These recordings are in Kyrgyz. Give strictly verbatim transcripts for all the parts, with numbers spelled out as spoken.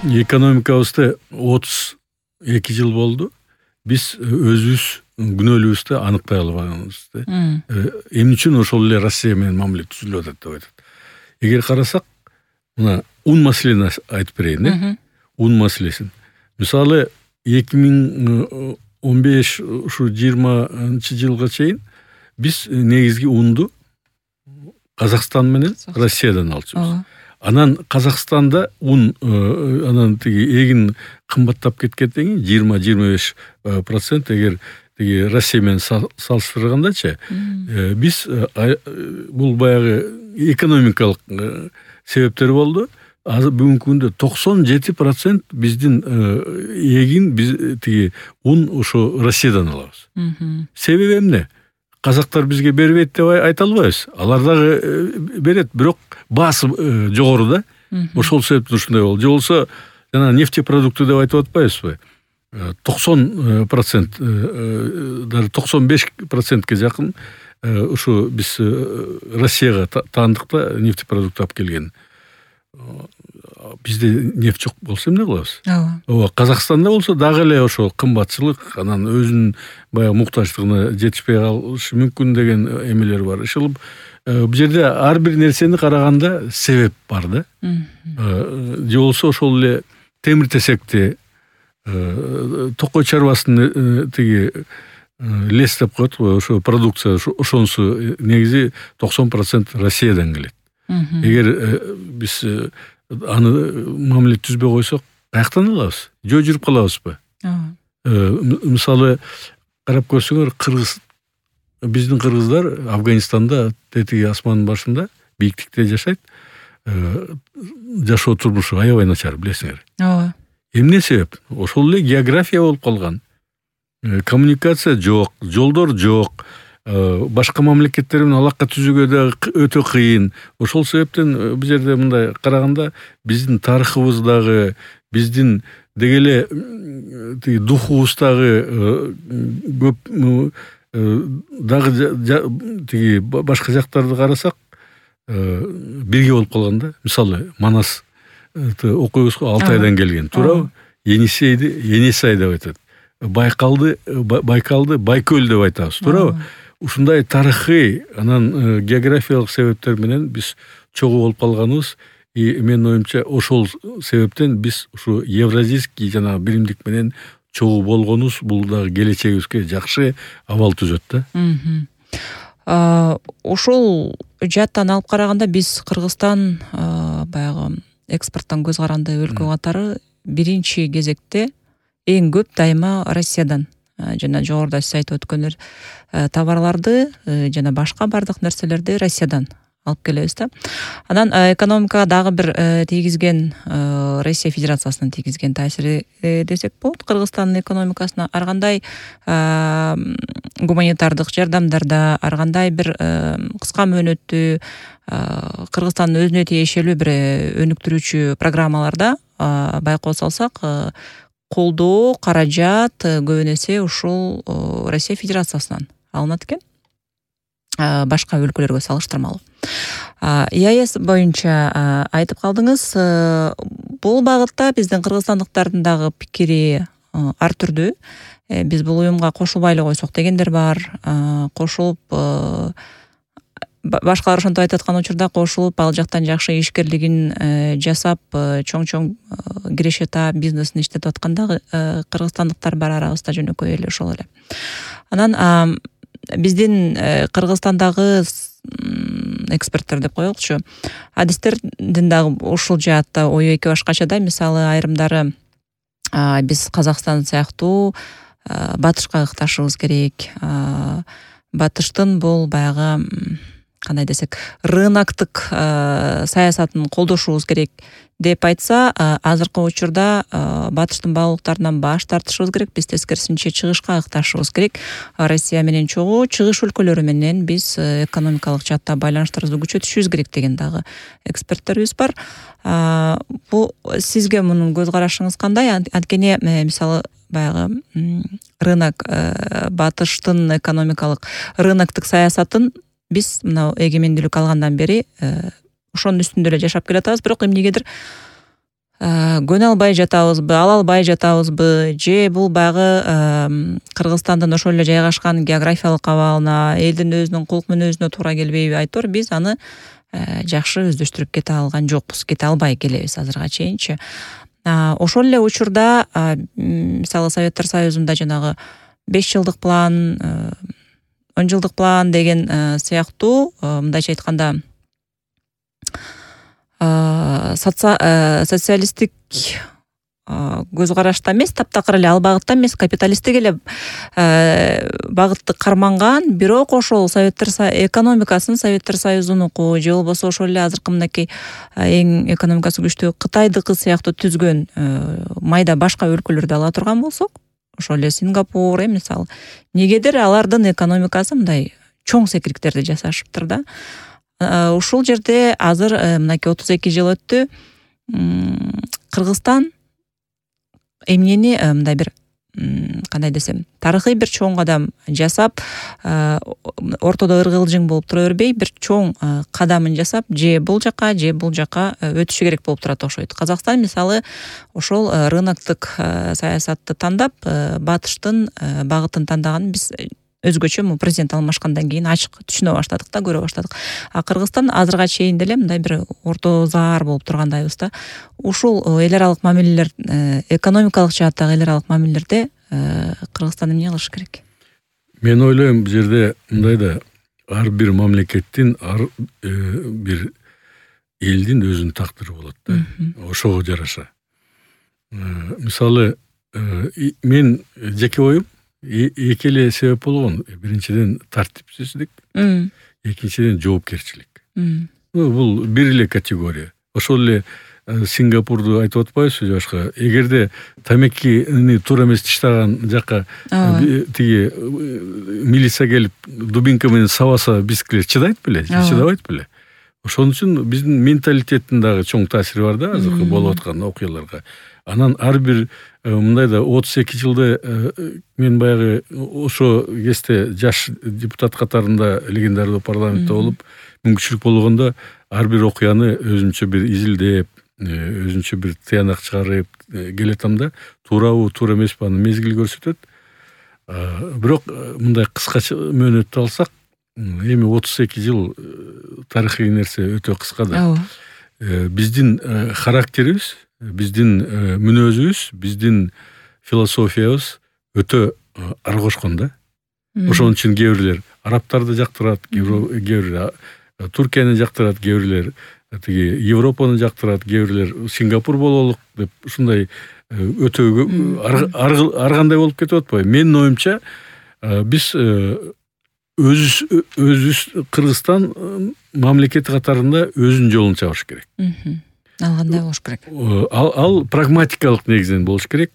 экономикабызды отуз эки жыл болду. Биз өзүбүз күнөөлүүбүздү аныктай албаганбыз. Эмне үчүн ошол эле Россия менен мамиле түзүлүп атат деп айтат. Эгер карасак, мына ун маселени айтып берейин, э? Ун маселесин. Мисалы, эки миң он беш ушу жыйырманчы жылга чейин биз негизги унду Казакстан менен Россиядан алчубуз. Анан Казакстанда ун анан тиги эгин кымбаттап кеткенден кийин жыйырма жыйырма беш процент эгер тиги Россия менен салыштыргандачы, биз бул баягы экономикалык себептер болду. Азыр бүгүнкү күндө токсон жети процент биздин эгин биз тиги ун ошо Россиядан алабыз. Себеби эмне? Казактар бизге бербейт деп айта албайбыз. Алар дагы берет, бирок баасы жогору да. Ошол себептен ушундай болду. Же болсо жана нефтепродукты деп айтып атпайбызбы? токсон процент, даже токсон беш процентке жакын ушу биз Россияга таандык да нефтепродукт алып келген. Бизде нефть жок болсо эмне кылабыз? Ооба, Казакстанда болсо дагы эле ошол кымбатчылык, анан өзүнүн баягы муктаждыгына жетишпей калышы мүмкүн деген эмелер бар. Ошол бул жерде ар бир нерсени караганда себеп бар да. Же болсо ошол эле темир тесекти, токой чарбасын тиги лес деп коет го, ошо продукция, ошонусу негизи токсон процент Россиядан келет. Эгер биз аны мамиле түзбөй койсок, каяктан алабыз? Жөө жүрүп калабызбы? Мисалы, карап көрсөңөр, кыргыз биздин кыргыздар Афганистанда тетиги асмандын башында бийиктикте жашайт. Жашоо турмушу аябай начар, билесиңер. Ооба. Эмне себеп? Ошол эле география болуп калган. Коммуникация жок, жолдор жок. Башка мамлекеттер менен алака түзүүгө да өтө кыйын. Ошол себептен бул жерде мындай караганда биздин тарыхыбыздагы, биздин деги эле тиги духубуздагы көп дагы тиги башка жактарды карасак бирге болуп калган да. Мисалы, Манас окуйбуз го Алтайдан келген, туурабы? Енисейди Енисай деп айтат. Байкалды Байкалды Байкөл деп айтабыз, туурабы? Ушундай тарыхый, анан географиялык себептер менен биз чогуу болуп калганыбыз, и менин оюмча ошол себептен биз ушу евразийский жана биримдик менен чогуу болгонубуз бул дагы келечегибизге жакшы абал түзөт да. Ошол жааттан алып караганда биз Кыргызстан баягы экспорттон көз каранды өлкө катары биринчи кезекте эң көп дайыма Россиядан жана жогоруда сиз айтып өткөндөр товарларды жана башка бардык нерселерди Россиядан алып келебиз да. Анан экономикага дагы бир тийгизген, Россия Федерациясынын тийгизген таасири десек болот Кыргызстандын экономикасына. Ар кандай гуманитардык жардамдарда, ар кандай бир кыска мөөнөттүү Кыргызстандын өзүнө тиешелүү бир өнүктүрүүчү программаларда байкоо салсак, колдоо, каражат көбүн эсе ушул Россия Федерациясынан алынат экен, башка өлкөлөргө салыштырмалуу. ИАЭС боюнча айтып калдыңыз, бул багытта биздин кыргызстандыктардын дагы пикири ар түрдүү. Биз бул уюмга кошулбай эле койсок дегендер бар. Кошулуп башкалар ошентип айтып аткан учурда кошулуп, ал жактан жакшы ишкерлигин жасап, чоң-чоң кирешета бизнесин иштетип аткандагы кыргызстандыктар бар арабызда жөнөкөй эле ошол эле. Анан биздин Кыргызстандагы эксперттер деп коелучу, адистердин дагы ушул жаатта ою эки башкача да. Мисалы, айрымдары биз Казакстан сыяктуу батышка ыкташыбыз керек. Батыштын бул баягы кандай десек, рыноктук саясатын колдошубуз керек деп айтса, азыркы учурда батыштын баалуулуктарынан баш тартышыбыз керек. Биз тескерисинче чыгышка ыкташыбыз керек. Россия менен чогуу чыгыш өлкөлөрү менен биз экономикалык жаатта байланыштарыбызды күчөтүшүбүз керек деген дагы эксперттерибиз бар. Бул сизге мунун көз карашыңыз кандай? Анткени мисалы баягы рынок, батыштын экономикалык рыноктук саясатын биз мына эгемендүүлүк алгандан бери ошонун үстүндө эле жашап келатабыз, бирок эмнегедир көнө албай жатабызбы, ала албай жатабызбы, же бул баягы Кыргызстандын ошол эле жайгашкан географиялык абалына, элдин өзүнүн кулк мүнөзүнө туура келбейби? Айтор биз аны жакшы өздөштүрүп кете алган жокпуз, кете албай келебиз азырга чейинчи. Ошол эле учурда мисалы Советтер Союзунда жанагы беш жылдык план, он жылдык план деген сыяктуу, мындайча айтканда социалисттик көз карашта эмес, таптакыр эле ал багытта эмес, капиталисттик эле багытты карманган, бирок ошол Советтер экономикасын Советтер Союзунуку же болбосо ошол эле азыркы мынакей эң экономикасы күчтүү Кытайдыкы сыяктуу түзгөн майда башка өлкөлөрдү ала турган болсок, ошол эле Сингапур, мисалы, негедир алардын экономикасы мындай чоң секириктерди жасашыптыр да. Ушул жерде азыр мынакей отуз эки жыл өттү. Кыргызстан эмнени мындай бир кандай десем, тарыхый бир чоң кадам жасап, ортодо ыргылжың болуп тура бербей, бир чоң кадамын жасап, же бул жака, же бул жака өтүшү керек болуп турат окшойт. Казакстан мисалы ошол рыноктук саясатты тандап, батыштын багытын тандаган биз өзгөчө му президент алмашкандан кийин ачык түшүнө баштадык да, көрө баштадык. А Кыргызстан азырга чейин деле мындай бир орто заар болуп тургандайбыз да. Ушул эл аралык мамилелер, экономикалык жааттагы эл аралык мамилелерде Кыргызстан эмне кылыш керек? Мен ойлойм, бул жерде мындай да, ар бир мамлекеттин, ар бир элдин өзүнүн тактыры болот да. Ошого жараша. Мисалы, мен жеке оюм эки эле себеп болгон. Биринчиден тартипсиздик, экинчиден жоопкерчилик. Бул бир эле категория. Ошол эле Сингапурду айтып атпайбызбы башка? Эгерде тамекини туура эмес тиштаган жака тиги милиция келип дубинка менен сабаса, бизгилер чыдайт беле? Чыдабайт беле? Ошон үчүн биздин менталитеттин дагы чоң таасири бар да азыркы болуп аткан окуяларга. Анан ар бир мындай да отуз эки жылда мен баягы ошо кезде жаш депутат катарында легендардуу парламентте болуп, мүмкүнчүлүк болгондо ар бир окуяны өзүнчө бир изилдеп, өзүнчө бир тыянак чыгарып келатам да, туурабы, туура эмеспи аны мезгил көрсөтөт. Бирок мындай кыскача мөөнөттү алсак, эми отуз эки жыл тарыхый нерсе өтө кыска да. Биздин характерибиз, биздин мүнөзүбүз, биздин философиябыз өтө ар кошкон да. Ошон үчүн кээ бирлер арабтарды жактырат, кээ бирлер Туркияны жактырат, кээ бирлер тиги Европаны жактырат, кээ бирлер Сингапур бололук деп ушундай өтө ар кандай болуп кетип атпайбы? Менин оюмча, биз өзүбүз өзүбүз Кыргызстан мамлекети катарында өзүнүн жолун чабыш керек. Ал кандай болуш керек? Ал, ал прагматикалык негизден болуш керек.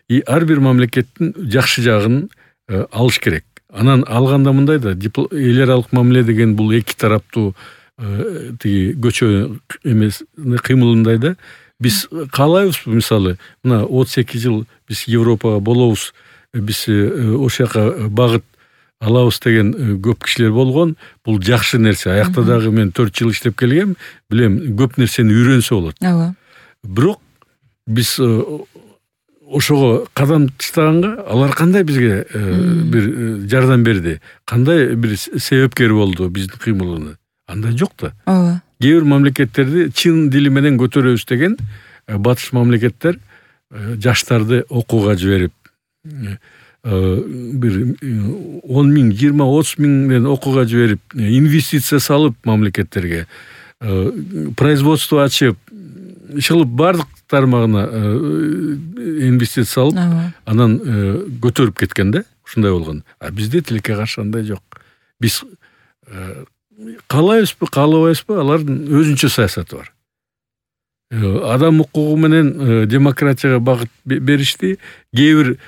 И ар бир мамлекеттин жакшы жагын алыш керек. Анан алганда мындай да, эл аралык мамиле деген бул эки тараптуу тиги көчө эмес кыймылындай да. Биз каалайбызбы, мисалы, мына отуз эки жыл биз Европага болобуз, биз ошол жака багыт алабыз деген көп кишилер болгон. Бул жакшы нерсе. Аякта дагы мен төрт жыл иштеп келгем, билем, көп нерсени үйрөнсө болот. Ооба. Бирок биз ошого кадам таштаганга алар кандай бизге бир жардам берди, кандай бир себепкер болду биздин кыймылыбызга? Андай жок да. Ооба. Кээ бир мамлекеттерди чын дили менен көтөрөбүз деген батыш мамлекеттер жаштарды окууга жиберип, бир он миң, жыйырма, отуз миңден окууга жиберип, инвестиция салып мамлекеттерге, производство ачып, ишылып бардык тармагына инвестиция салып, анан көтөрүп кеткен да, ушундай болгон. А бизде тилекке каршы андай жок. Биз каалайбызбы, каалабайбызбы, алардын өзүнчө саясаты бар. Адам укугу менен демократияга багыт беришти. Кээ бир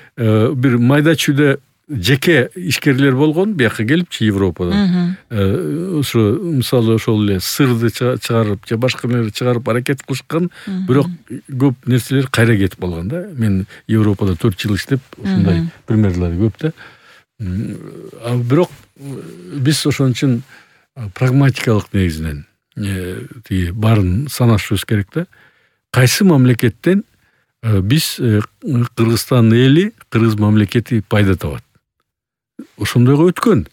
бир майда чүйдө жеке ишкерлер болгон, бияка келипчи Европадан. Ошо мисалы ошол эле сырды чыгарып, же башка нерсе чыгарып аракет кылышкан, бирок көп нерселер кайра кетип калган да. Мен Европада төрт жыл иштеп, ушундай примерлер көп да. Бирок биз ошон үчүн прагматикалык негизинен тиги баарын санашыбыз керек да. кайсы мамлекеттен биз Кыргызстан эли, кыргыз мамлекети пайда табат. Ошондойго өткөн.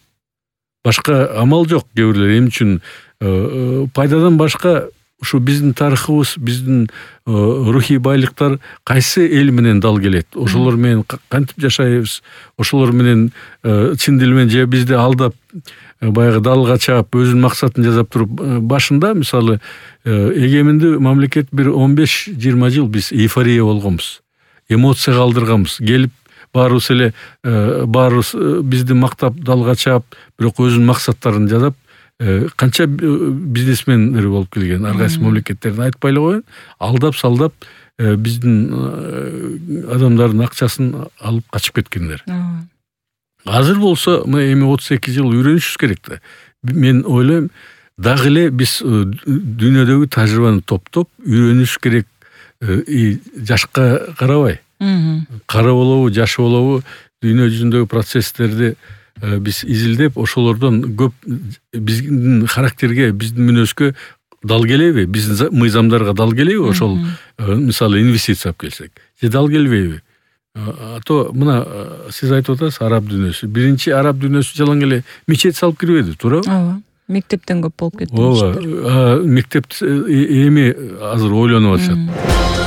Башка амал жок. Кээ бирлер эмне үчүн пайдадан башка ушу биздин тарыхыбыз, биздин рухий байлыктар кайсы эл менен дал келет? Ошолор менен кантип жашайбыз? Ошолор менен чын дил менен же бизди алдап баягы далга чаап өзүнүн максатын жасап туруп башында мисалы эгемендүү мамлекет бир он беш жыйырма жыл биз эйфория болгонбуз. Эмоция калтырганбыз. Келип баарыбыз эле баарыбыз бизди мактап далга чаап, бирок өзүнүн максаттарын жасап канча бизнесмендер болуп келген, ар кайсы мамлекеттердин айтпай эле коеюн, алдап салдап биздин адамдардын акчасын алып качып кеткендер. Азыр болсо эми отуз эки жыл үйрөнүшүбүз керек да. Мен ойлойм, дагы эле биз дүйнөдөгү тажрыйбаны топтоп үйрөнүш керек. Жашка карабай. Кара болобу, жаш болобу, дүйнө жүзүндөгү процесстерди биз изилдеп, ошолордон көп биздин характерге, биздин мүнөзгө дал келеби, биздин мыйзамдарга дал келеби, ошол мисалы инвестиция алып келсек. Же дал келбейби? А то мына сиз айтып атасыз, араб дүйнөсү. Биринчи араб дүйнөсү жалаң эле мечет салып кирбеди, туурабы? Ооба. Мектептен көп болуп кетти. Ооба. Мектеп эми азыр ойлонуп атышат.